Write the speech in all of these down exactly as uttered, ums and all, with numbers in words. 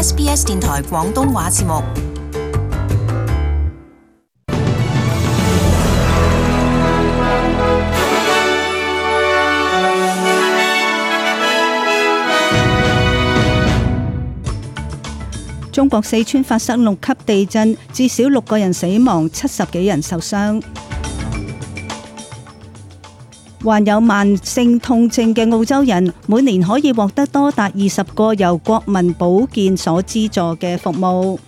S B S 電台廣東話節目。中國四川發生六級地震，至少六個人死亡，七十幾人受傷。患有慢性痛症嘅澳洲人，每年可以獲得多達二十個由國民保健所資助嘅服務。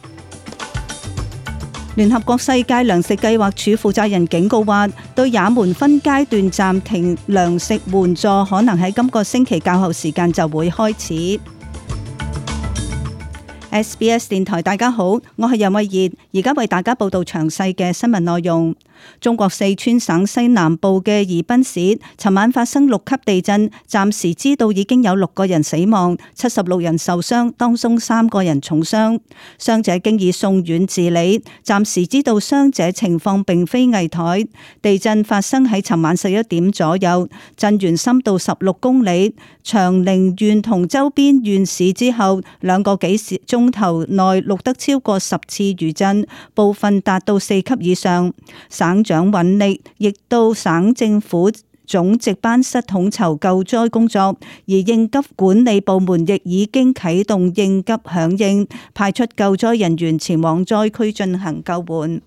聯合國世界糧食計劃署負責人警告話，對也門分階段暫停糧食援助，可能喺今個星期較後時間就會開始。S B S 電台大家好，我係任慧儀，而家為大家報道詳細嘅新聞內容。中國四川省西南部嘅宜賓市尋晚發生六級地震，暫時知道已經有六個人死亡，七十六人受傷，當中三個人重傷，傷者經已送院治理，暫時知道傷者情況並非危殆。地震發生喺尋晚十一點左右，震源深度十六公里，長寧縣同周邊縣市之後兩個幾鐘頭內錄得超過十次餘震，部分達到四級以上。省長尹力亦到省政府總值班室統籌救災工作，而應急管理部門亦已經啟動應急響應，派出救災人員前往災區進行救援。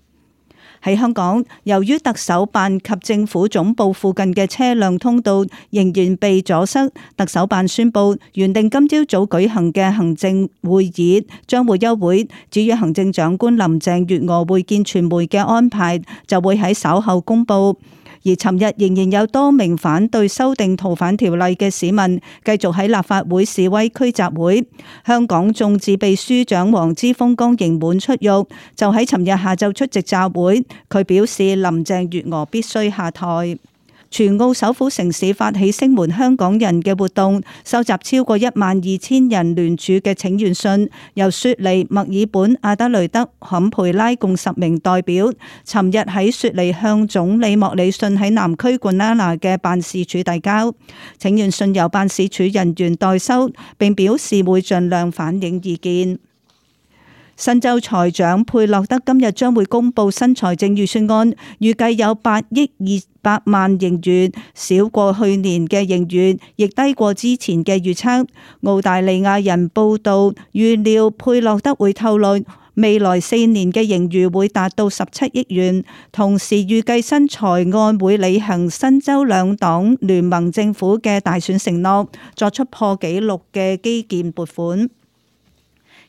喺香港，由於特首辦及政府總部附近嘅車輛通道仍然被阻塞，特首辦宣布原定今朝早舉行嘅行政會議將會休會。至於行政長官林鄭月娥會見傳媒嘅安排，就會喺稍後公布。而尋日仍然有多名反對修訂逃犯條例嘅市民繼續喺立法會示威區集會。香港眾志秘書長黃之鋒剛刑滿出獄，就喺尋日下晝出席集會。佢表示林鄭月娥必須下台。全澳首府城市發起聲援香港人嘅活動，收集超過一萬二千人聯署嘅請願信，由雪梨、墨爾本、阿德雷德、坎培拉共十名代表，尋日喺雪梨向總理莫里遜喺南區冠拉拿嘅辦事處遞交。請願信由辦事處人員代收，並表示會盡量反映意見。新州財長佩洛德今日將會公布新財政預算案，預計有八億二百萬盈餘，少過去年嘅盈餘，亦低過之前嘅預測。澳大利亞人報道預料佩洛德會透露未來四年嘅盈餘會達到十七億元，同時預計新財案會履行新州兩黨聯盟政府嘅大選承諾，作出破紀錄嘅基建撥款。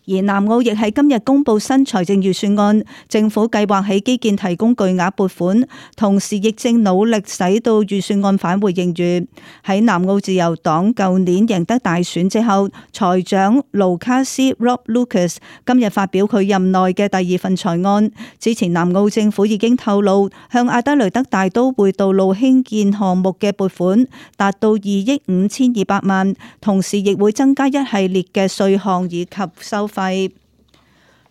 而南澳亦喺今日公布新財政預算案，政府計劃喺基建提供巨額撥款，同時亦正努力使到預算案返回盈餘。喺南澳自由黨舊年贏得大選之後，財長盧卡斯 Rob Lucas 今日發表佢任內嘅第二份財案。之前南澳政府已經透露向阿德雷德大都會道路興建項目嘅撥款達到二億五千二百萬，同時亦會增加一系列嘅稅項以及收費。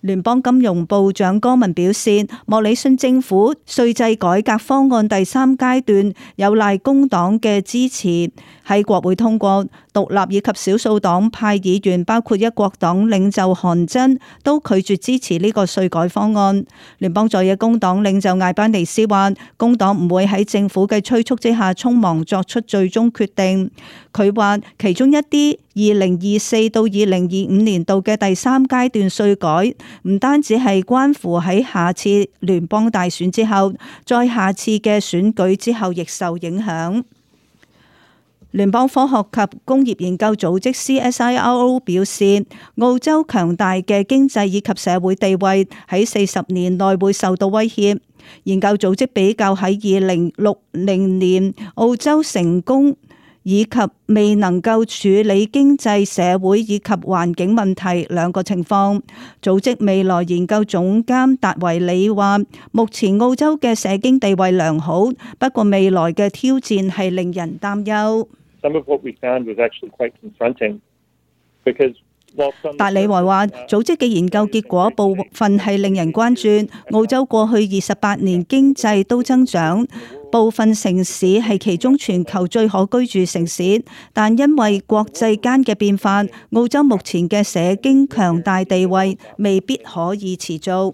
聯邦金融部長柯文表示，莫里遜政府稅制改革方案第三階段有賴工黨嘅支持喺國會通過，獨立以及少數黨派議員包括一國黨領袖韓真都拒絕支持呢個稅改方案。聯邦在野工黨領袖艾班尼斯話，工黨唔會喺政府嘅催促之下匆忙作出最終決定。佢話其中一啲二零二四到二零二五年度嘅第三階段稅改，唔單止係關乎喺下次聯邦大選之後，再下次嘅選舉之後亦受影響。聯邦科學及工業研究組織 C S I R O 表示，澳洲強大嘅經濟以及社會地位喺四十年內會受到威脅。研究組織比較喺二零六零年澳洲成功以及未能夠處理經濟、社會以及環境問題兩個情況。組織未來研究總監達維里話，目前澳洲嘅社經地位良好，不過未來嘅挑戰係令人擔憂。達里維話，組織嘅研究結果部分係令人關注。澳洲過去二十八年經濟都增長，部分城市係其中全球最可居住城市，但因為國際間嘅變化，澳洲目前嘅社經強大地位未必可以持續。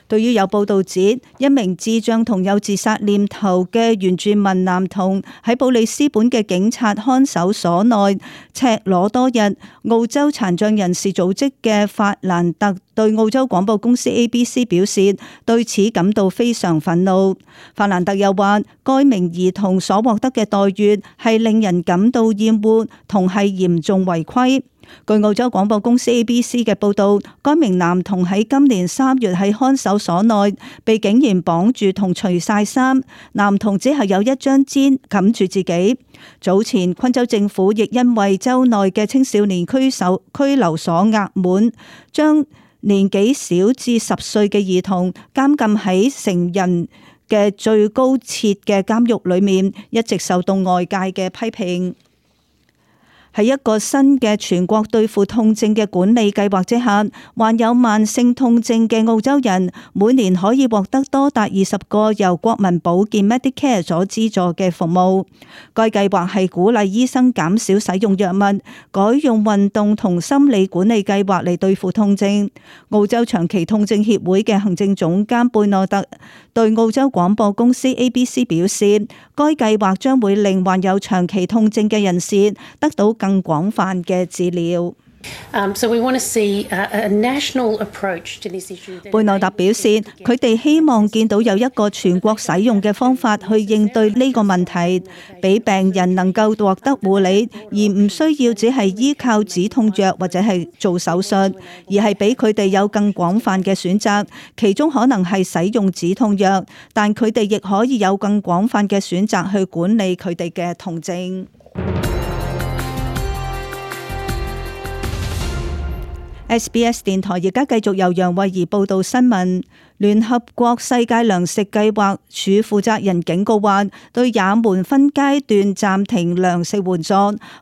對於有報道指一名智障同有自殺念頭嘅原住民男童喺布里斯本嘅警察看守所內赤裸多日，澳洲殘障人士組織嘅法蘭特對澳洲廣播公司 A B C 表示對此感到非常憤怒。法蘭特又話，該名兒童所獲得嘅待遇係令人感到厭惡同係嚴重違規。據澳洲廣播公司 A B C 嘅報道，該名男童喺今年三月喺看守所內被警員綁住同除晒衫，男童只係有一張氈冚住自己。早前昆州政府亦因為州內嘅青少年拘守拘留所額滿，將年紀小至十歲嘅兒童監禁喺成人嘅最高設嘅監獄裏面，一直受到外界嘅批評。喺一個新嘅全國對付痛症嘅管理計劃之下，患有慢性痛症嘅澳洲人每年可以獲得多達二十個由國民保健 Medicare 所資助嘅服務。該計劃係鼓勵醫生減少使用藥物，改用運動同心理管理計劃嚟對付痛症。澳洲長期痛症協會嘅行政總監貝諾特對澳洲廣播公司 A B C 表示，該計劃將會令患有長期痛症嘅人士得到更廣泛嘅治療。Um, so we want to see a, a national approach to this issue. 貝諾特表示，佢哋希望見到有一個全國使用嘅方法去應對呢個問題，俾病人能夠獲得護理，而唔需要只係依靠止痛藥或者係做手術，而係俾佢哋有更廣泛嘅選擇，其中可能係使用止痛藥，但佢哋亦可以有更廣泛嘅選擇去管理佢哋嘅痛症。S B S 電台而家繼續由楊慧儀報道新聞。聯合國世界糧食計劃署負責人警告話，對也門分階段暫停糧食援助，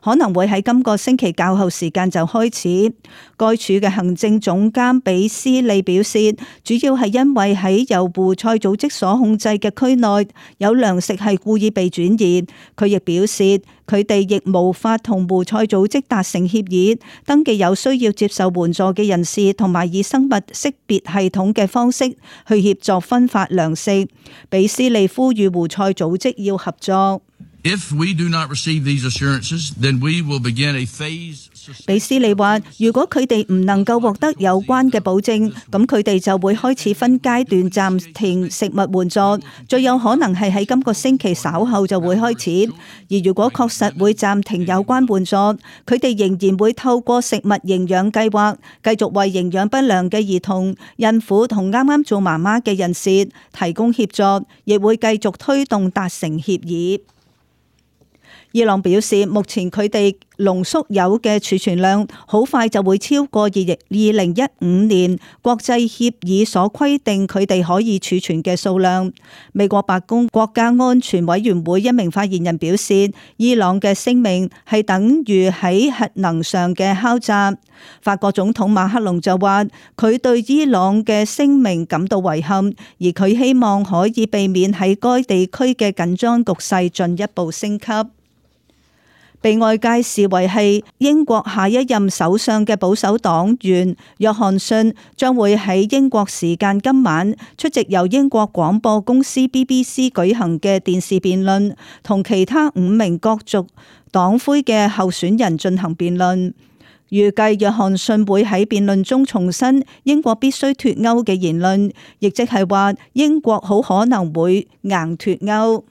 可能會喺今個星期較後時間就開始。該署嘅行政總監比斯利表示，主要係因為喺由胡塞組織所控制嘅區內有糧食係故意被轉移。佢亦表示，佢哋亦無法同胡塞組織達成協議，登記有需要接受援助嘅人士，同埋以生物識別系統嘅方式去協助分發糧食。比斯利呼籲胡塞組織要合作。If we do not receive these assurances, then we will begin a phase. 比斯利話，如果佢哋唔能夠獲得有關嘅保證，咁佢哋就會開始分階段暫停食物援助，最有可能係喺今個星期稍後就會開始。而如果確實會暫停有關援助，佢哋仍然會透過食物營養計劃，繼續為營養不良嘅兒童、孕婦同啱啱做媽媽嘅人士提供協助，亦會繼續推動達成協議。伊朗表示，目前佢哋濃縮鈾嘅儲存量好快就會超過二零一五年國際協議所規定佢哋可以儲存嘅數量。美國白宮國家安全委員會一名發言人表示，伊朗嘅聲明係等於喺核能上嘅敲詐。法國總統馬克龍就話，佢對伊朗嘅聲明感到遺憾，而佢希望可以避免喺該地區嘅緊張局勢進一步升級。被外界視為係英國下一任首相嘅保守黨員約翰遜將會喺英國時間今晚出席由英國廣播公司 B B C 舉行嘅電視辯論，同其他五名角逐黨魁嘅候選人進行辯論。預計約翰遜會喺辯論中重申英國必須脫歐嘅言論，亦即係話英國好可能會硬脫歐。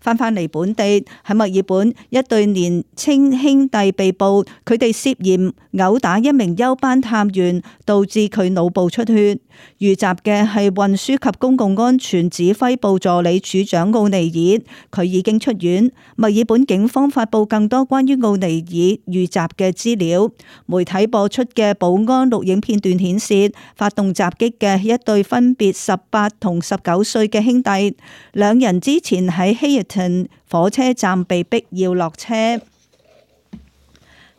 翻返嚟本地，喺墨爾本，一對年青兄弟被捕，佢哋涉嫌毆打一名休班探員，導致佢腦部出血。遇襲嘅係運輸及公共安全指揮部助理處長奧尼爾，佢已經出院。墨爾本警方發布更多關於奧尼爾遇襲嘅資料。媒體播出嘅保安錄影片段顯示，發動襲擊嘅一對分別十八同十九歲嘅兄弟，兩人之前喺希爾頓火車站被逼要落車。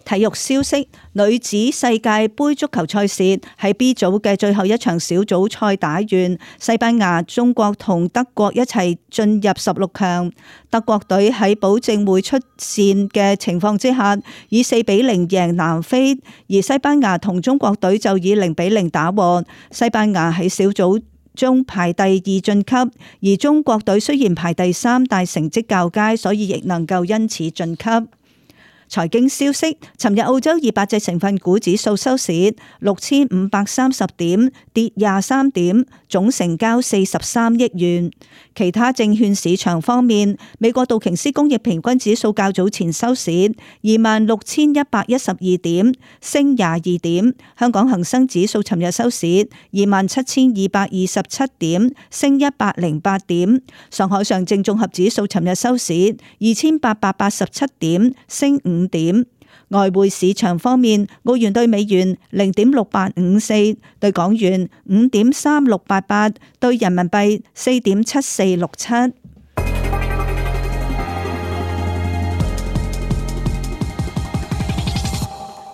體育消息：女子世界盃足球賽事喺 B 組嘅最後一場小組賽打完，西班牙、中國同德國一齊進入十六強。德國隊喺保證會出線嘅情況之下，以四比零贏南非，而西班牙同中國隊就以零比零打和。西班牙喺小組中排第二晉級，而中國隊雖然排第三，但成績較佳，所以亦能夠因此晉級。財經消息：尋日澳洲二百隻成分股指數收市六千五百三十點，跌廿三點，總成交四十三億元。其他證券市場方面，美國道瓊斯工業平均指數較早前收市二萬六千一百一十二點，升廿二點。香港恒生指數尋日收市二萬七千二百二十七點，升一百零八點。上海上證綜合指數尋日收市二千八百八十七點，升五點。外匯市場方面，澳元兌美元零點六八五四，兌港元五點三六八八，兌人民幣四點七四六七。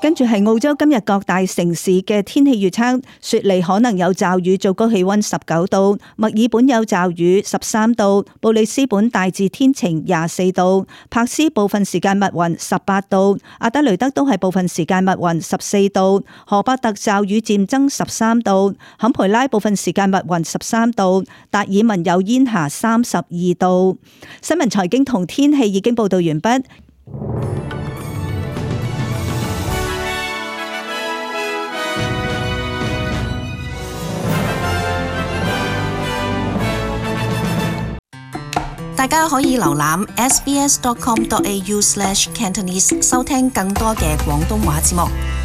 跟住係澳洲今日各大城市嘅天氣預測：雪梨可能有驟雨，最高氣溫十九度；墨爾本有驟雨，十三度；布里斯本大致天晴，廿四度；柏斯部分時間密雲，十八度；阿德雷德都係部分時間密雲，十四度；荷伯特驟雨漸增，十三度；坎培拉部分時間密雲，十三度；達爾文有煙霞，三十二度。新聞財經同天氣已經報道完畢。大家可以瀏覽 s b s dot com dot a u slash cantonese 收聽更多嘅廣東話節目。